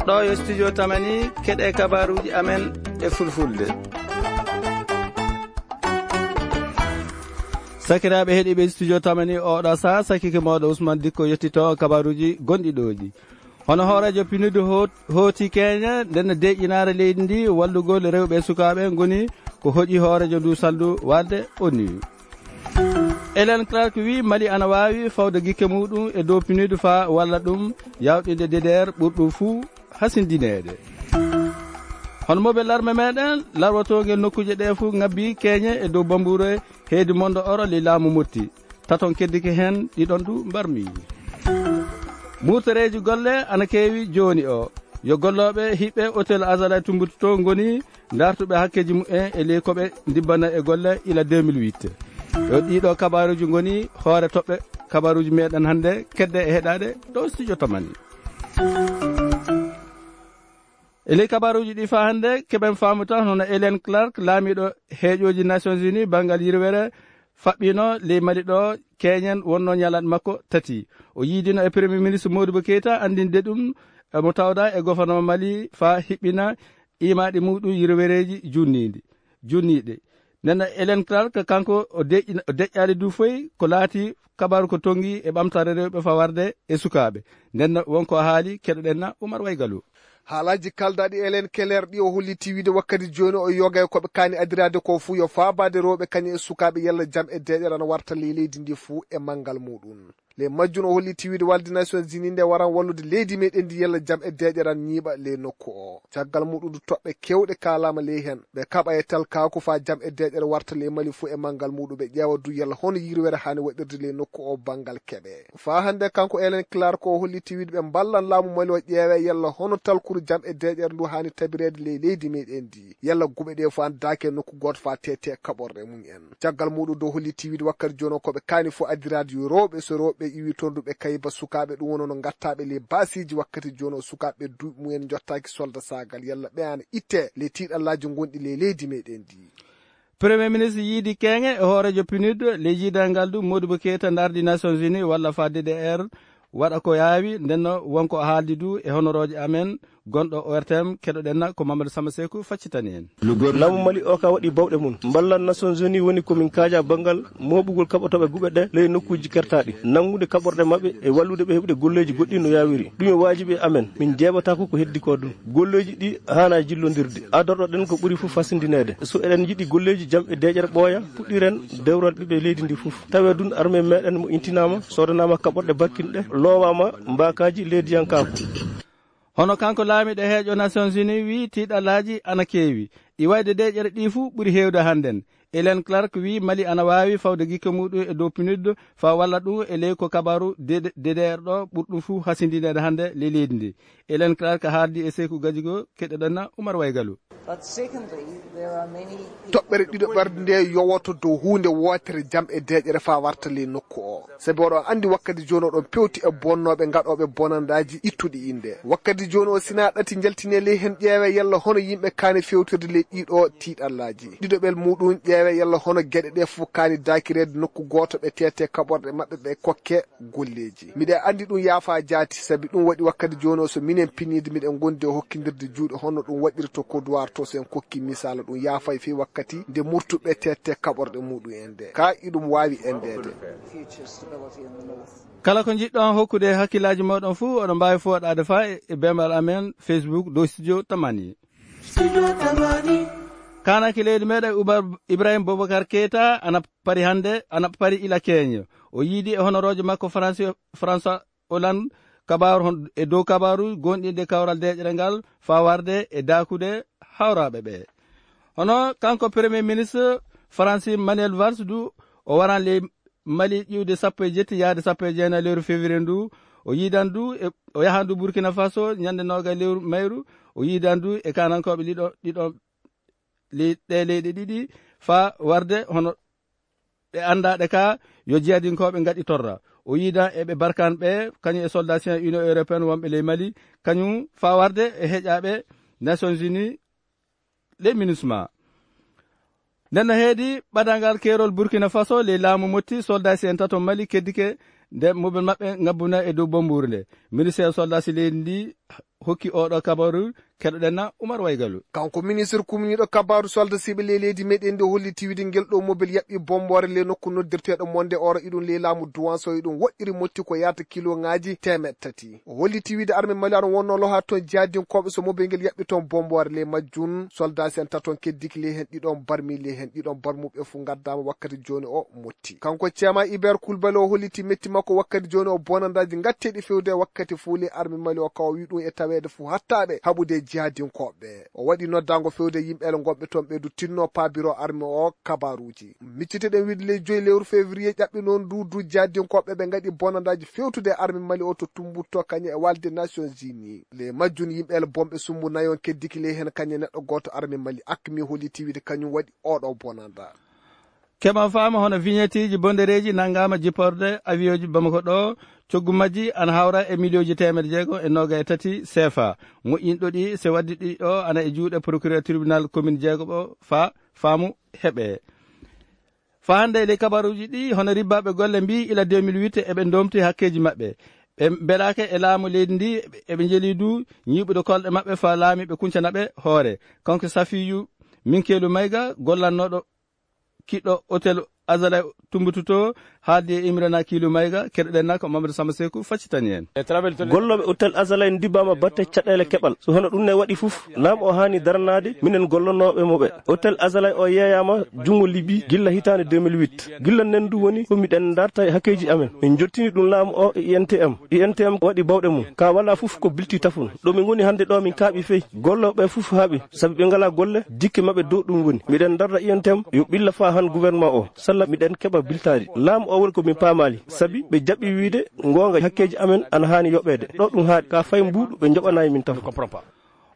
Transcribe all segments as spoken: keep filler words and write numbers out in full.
Ɗo yo studio Tamani, keɗe kabaruuji amen e fulfulde. Sakiraaɓe heɗiiɓe studio Tamani, oɗo saa sakike mooɗo Ousmane Dikko yettito kabaruuji gonɗi ɗooji. Hono hooreejo PNUD ho-, hooti Kenya, nden deeƴinaare leydi ndi, wallugol rewɓe e sukaaɓe ngoni ko hoƴi hooreejo ndu salndu walde O N U. Ellen Clark wi Mali ana waawi fawde gikke muɗum e dow PNUD faa walla ɗum yawɗinde D D R ɓurɗum fuu hasindineede. Hono moɓe larme meɗen, larwatoo ngel nokkuuje ɗe fuu ngabbi keeñe e dow bambuure heedi mondo oro ley laamu Motti. Taton keddike heen, ɗiɗon du mbarmi. Murtereeji golle ana keewi jooni o. Yo gollooɓe hiɓɓe Hôtel Azalaï Tombouctou ngoni ndartuɓe hakkeeji mumen e ley ko ɓe ndibbana e golle ila deux mille huit. Yo ɗiɗo kabaruuji ngoni hoore toɓɓe kabaruuji meɗen hannde kedde e heɗaade ɗo studio Tamani. E ley kabaruuji ɗi faa hannde, keɓen faamu tan hono Ellen Clark, laamiiɗo heeƴooji Nations Unies banngal yirwere, faɓɓiino ley Mali ɗo keeñen wonnoo ñalaaɗe makko tati. O yiidino e Premier Ministre Modibo Keita anndinde ɗum, e mo tawda e gouvernement Mali faa hiɓɓina iimaaɗi muɗum yirwereeji junniiɗi, junniiɗi. Nden Ellen Clark, kanko o deƴƴina-, o deƴƴaali du foy ko laati kabaru ko tonngi e ɓamtaare rewɓe faa warde e sukaaɓe. Nden wonko haali, keɗoɗen na Oumar Waygalu. Haalaaji kaldaaɗi Ellen Keller ɗi o holliti wiide wakkati jooni o yoga e ko ɓe kaani adiraade ko fuu yo faabaade rewɓe kañum e sukaaɓe yalla jam e deeƴere ana warta ley leydi ndi fuu e manngal muɗum. Ley majjum o holliti wiide walde Nations Unies nde waran wallude leydi meɗen ndi yalla jam e deeƴere ana ñiiɓa ley nokku o. Caggal muɗum du toɓɓe keewɗe kaalaama ley heen. Ɓe kaɓa e talkaaku faa jam e deeƴere warta ley Mali fuu e manngal muɗum. Ɓe ƴeewa du yalla hono yirwere haani waɗirde ley nokku o banngal keɓe. Faa hannde kanko Ellen Clark o holliti wiide ɓe mballan laamu Mali o ƴeewe yalla hono talkuru jam e deeƴere ndu haani tabireede ley leydi meɗen ndi. Yalla guɓe ɗe fof andaaki e nokku gooto faa teete kaɓorɗe mum en. Caggal muɗum du o holliti wiide wakkati jooni o ko ɓe kaani fof addiraade yo rewɓe, so rewɓe iwi toon du ɓe kayba sukaaɓe, ɗum woni no ngattaaɓe ley baasiiji wakkati jooni o sukaaɓe duuɓi mum en njottaaki solda saagal yalla ɓe ana itte ley tiiɗallaaji ngonɗi ley leydi meɗen ndi. Premier ministre yiidi keeŋe e hooreejo PNUD ley yiidal ngal du Modibo Keita ndardi Nations Unies walla faa D D R waɗa ko yaawi, ndenno wonko haaldi du e honorooje amen gonɗo O R T M, keɗoɗen na ko Mamadou Samba Sekou faccitani en. Laamu Mali o ka waɗi bawɗe mum. Mballal Nations Unies woni ko min kaaja banngal mooɓugol kaɓotooɓe guɓe ɗe ley nokkuuji kertaaɗi, nanngude kaɓorɗe maɓɓe e wallude ɓe heɓude golleeji goɗɗi no yaawiri. Ɗum e waajibi e amen, min njeeɓataako ko heddi ko ɗum. Golleeji ɗi haana jillondirde. Adorɗo ɗen ko ɓuri fof fasindineede. So eɗen njiɗi golleeji jam e deeƴere ɓooya, puɗɗiren dewral ɓiɓɓe leydi ndi fof. Tawe dun armée meɗen mo intinaama, soodanaama kaɓorɗe barkinɗe, loowaama mbaakaaji leydiyankaaku. Hono kanko laamiiɗo heeƴo Nations Unies wii tiiɗalaaji ana keewi. Iwayde deeƴere ɗi fof ɓuri heewde hannden. Ellen Clark wii Mali ana waawi fawde gikke muɗum e dow PNUD faa walla ɗum e ley ko kabaru D D R ɗo ɓurɗum fof hasindineede hannde ley leydi ndi. Ellen Clark haaldi e Seeku Gajigo, keɗoɗen na Oumar Waygalu. But secondly, there are many Toɓɓere ɗiɗo ɓerɗe nde yowoto dow huunde wootere jam e deeƴere faa warta ley nokku o. Sabi oɗon anndi wakkati jooni oɗon pewti e bonnooɓe gaɗooɓe bonandaaji ittuɗi innde. Wakkati jooni o sina ɗati njaltine ley heen ƴeewe yalla hono yimɓe kaani fewtirde ley ɗiɗo tiiɗallaaji. Ɗiɗoɓel muɗum ƴeewe yalla hono geɗe ɗe fof kaani daakireede nokku gooto ɓe teete kaɓorɗe maɓɓe ɓe kokke golleeji. Miɗen anndi ɗum yaafaa jaati, sabi ɗum waɗi wakkati jooni o so minen piniide miɗen ngondi e hokkindirde juuɗe hono ɗum waɗirto ko duwarto so en kokki misaala ɗum yaafay fii wakkati nde murtuɓe tette kaɓorɗe muɗum en nde. Ka iɗum waawi endeede. Kala ko njiɗɗon hokkude hakkillaaji mooɗon fuu, oɗon mbaawi fooɗaade faa e, e beembal amen Facebook dow Studio Tamani. Studio Tamani. Kaananke leydi meɗen Umar Ibrahim Boubacar Keita ana pari hannde, ana pari ila Kenya. O yiidi e honoroojo makko Fransi-, François Hollande kabaaru hon-, e dow kabaaru gonɗinde kawral deeƴere ngal faa warde e daakude hawraaɓe ɓe. Hono kanko Premier Ministre Faransi Manuel Valls du, o waran ley Mali ƴiwde sappo e jetti yaade sappo e jeenayi lewru février ndu. O yiidan du, e, o yahan du Burkina Faso ñande noogay lewru mayru. O yiidan du e kaanankooɓe ɗiɗo, ɗiɗo, ley-, ɗe leyɗe ɗiɗi faa warde hono ɗe anndaaɗe ka yo jihadinkooɓe ngaɗi torra. O yiidan e ɓe Barkhane ɓe, kañum e soldat sien Union Européenne wonɓe ley Mali, kañum faa warde e heƴaaɓe Nations Unies ley MINUSMA. Nden no heedi ɓadanngal keerol Burkina Faso ley laamu Motti, soldat sien tato Mali keddike nde mobel maɓɓe ngabbuna e dow bombuure nde. Ministeer soldat si leydi ndi hokki oɗo kabaru, keɗoɗen na Umar Waygalu. Kanko ministre kumniiɗo kabaaru soldasiiɓe ley leydi meɗen ndi holliti wiide ngel ɗo mobel yaɓɓi bomboore ley nokku noddirteeɗo Monde Oro, iɗum ley laamu Duwanso, iɗum woɗɗiri motti ko yaata kiloŋaaji teemeɗɗe tati. O holliti wiide arme Mali aɗon wonno loha toon jihadinkooɓe so mobel ngel yaɓɓi toon bomboore ley majjum. Soldasi en taton keddiki ley heen ɗiɗon barmi, ley heen ɗiɗon barmuɓe fuu ngaddaama wakkati jooni o motti. Kanko Ceema Iber Kulbali o holliti metti makko wakkati jooni o bonandaaji ngatteeɗi fewde wakkati fuu ley arme Mali o kawa wi ɗum e taweede fuu hattaaɓe haɓude jihadinkooɓe. O waɗi noddaango fewde yimɓe ele ngonɓe toon ɓe du tinno paabiro arme o kabaruuji. Micciteɗen wiide ley joyi lewru février ƴaɓɓi noon du du jihadinkooɓe ɓe ngaɗi bonandaaji fewtude arme Mali o to Tumbutto kañe e walde Nations Unies. Ley majjum yimɓe ele bonɓe sumbu nayon keddiki ley heen kañe neɗɗo gooto arme Mali akmi holliti wiide kañum waɗi oɗo bonanda. Keɓa faama hono vignetteeji bondereeji nanngaama jipporde avion ji Bamako ɗo, coggu majji ana hawra e miliyonji teemedde jeego e noga e tati C F A. Moƴƴinɗo ɗi, se waddi ɗi ɗo ana e juuɗe procureur tribunal commune jeego ɓo fa faamu heɓe. Fa hannde e ley kabaruuji ɗi, hono ribbaaɓe golle mbii ila deux mille huit eɓe ndomti hakkeeji maɓɓe. Ɓe mbelaake e laamu leydi ndi, eɓe njeli du ñiiɓude kolɗe maɓɓe fa laamiiɓe kuncana ɓe hoore. Kanko Safiyu Minkeelu Mayga, gollannooɗo kiɗɗo Hotel Azalay Tumbutu to, haaldi e Imrana Kiilu Mayga, keɗoɗen na ko Mamadou Samba Seku faccitani en. Gollooɓe Hotel Azalay ndibbaama batte caɗeele keɓal. So hono ɗum ne waɗi fof, laamu o haani daranaade minen gollonooɓe mo ɓe. Hotel Azalay o yeeyaama junngo Libi gilla hitaande deux mille huit. Gilla nden du woni ko miɗen darta e hakkeeji amen. Min jottini ɗum laamu o e I N T M. I N T M waɗi bawɗe mum. Ka wala fof ko bilti tafun. Ɗo min ngoni hannde ɗo min kaaɓi fey. Gollooɓe fof haaɓi. Sabi ɓe ngalaa golle, jikke maɓɓe dow ɗum woni. Miɗen darda I N T M yo ɓilla faa han gouvernement o. Salla miɗen keɓa biltaari. Laamu o woni ko min paamaali. Sabi ɓe jaɓi wiide ngoonga hakkeeji amen ana haani yoɓeede. Ɗo ɗum haaɗi. Ka fay mbuuɗu ɓe njoɓanaay min tafun.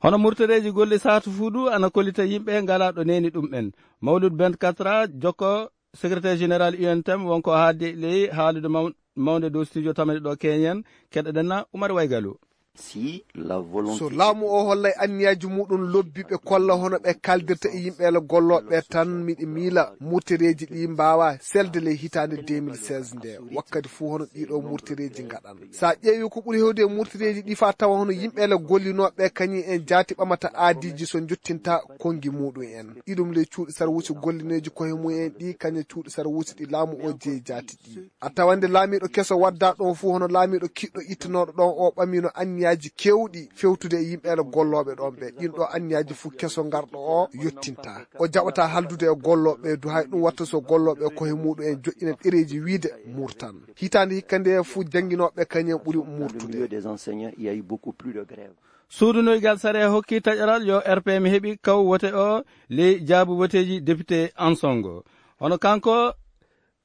Hono murtoreeji golle saatu fuu du ana kollita yimɓe ngalaa ɗo neeni ɗum en. Mawlud Ben Katra, jokko secrétaire général U N T M, wonko haalde ley haalude maw-, mawnde dow studio tamani ɗo Kenyan, keɗoɗen na Umar Waygalu. Si la volonté So laamu o hollay anniyaaji muɗum lobbi ɓe kolla hono ɓe kaldirta e yimɓe ele gollooɓe tan, miɗi miila murtoreeji ɗi mbaawa selde ley hitaande deux mille seize nde, wakkati fuu hono ɗiɗo murtoreeji ngaɗan. Sa ƴeewi ko ɓuri hewde e murtoreeji ɗi fa tawa hono yimɓe ele gollinooɓe kañum en jaati ɓamata aadiiji so njottinta konngi muɗum en. Iɗum ley cuuɗi sarwuusi gollineeji koye mum en ɗi kañe cuuɗi sarwuusi ɗi laamu o jeyi jaati ɗi. A tawande laamiiɗo keso wadda ɗon fuu hono laamiiɗo kiɗɗo ittanooɗo ɗon o ɓamino anniyaaji kewɗi fewtude e yimɓe ele gollooɓe ɗon ɓe. Ɗin ɗo anniyaaji fuu keso ngarɗo o yottinta. O jaɓata haldude e gollooɓe du hay ɗum watta so gollooɓe koye muɗum en joƴƴina ɗereeji wiide murtan. Hitaande hikka nde fuu jannginooɓe kañum ɓuri murtude. Suudu noygal sare hokki taƴaral yo R P M heɓi kaw wote o ley jaabu woteeji député Ansongo. Hono kanko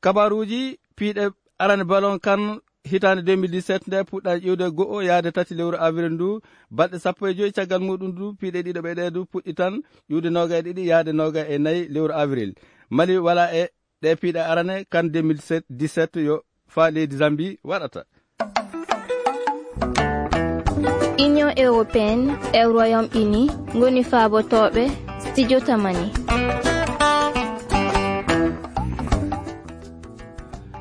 kabaruuji piiɗe arane ballon kan hitaande deux mille dix-sept nde puɗɗa ƴiwde go'o yaade tati lewru avril ndu, balɗe sappo e joy caggal muɗum du piiɗe ɗiɗo ɓe ɗe du puɗɗi tan ƴiwde noga e ɗiɗi yaade noga e nayi lewru avril. Mali wala e ɗe piiɗe arane kan deux mille dix-sept yo fa leydi Zambie waɗata. Union européenne e Royaume-Uni ngoni faabotooɓe studio tamani.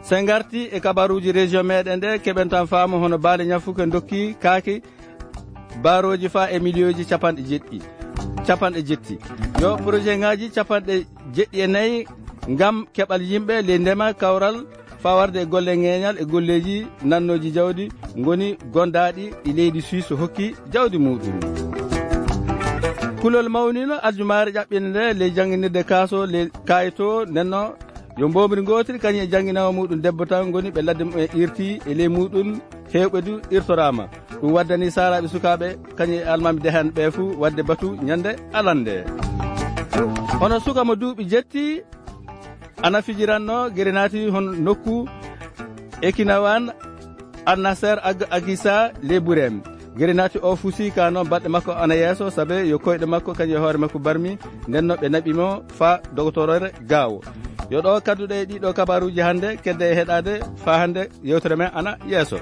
Sen ngarti e kabaruuji région meɗen ɗe, keɓen tan faamu hono baali ñafuke dokki kaaki barooji fa e miliyonji capanɗe jeɗɗi. Capanɗe jetti. Yo projet ngaji capanɗe jeɗɗi e nayi ngam keɓal yimɓe ley ndema kawral fawarde e golle ŋeeñal e golleeji nannooji jawdi ngoni gondaaɗi e leydi Suisse hokki jawdi muɗum. Kulol mawnino aljumaare ƴaɓɓinde nde ley jannginirde kaaso ley kayto nenno yo mbomri ngootiri kañum e jannginaawo muɗum debbo tan ngoni ɓe ladde mumen irti e ley muɗum heewɓe du irtoraama. Ɗum waddani saaraaɓe sukaaɓe kañum e almaami dehan ɓe fuu wadde batu ñande alande. Hono suka mo duuɓi jetti ana fijiranno gere naati hon nokku Ekinawan Annaser Ag Agisa Leburem. Gere naati o fusi ka noon baɗɗe makko ana yeeso sabe yo koyɗe makko kañum e hoore makko barmi ndenno ɓe naɓi mo fa dogotoroore gaawo. Yo ɗo kadduɗe e ɗiɗo kabaruuji hannde kedde e heɗaade fa hannde yewtere men ana yeeso.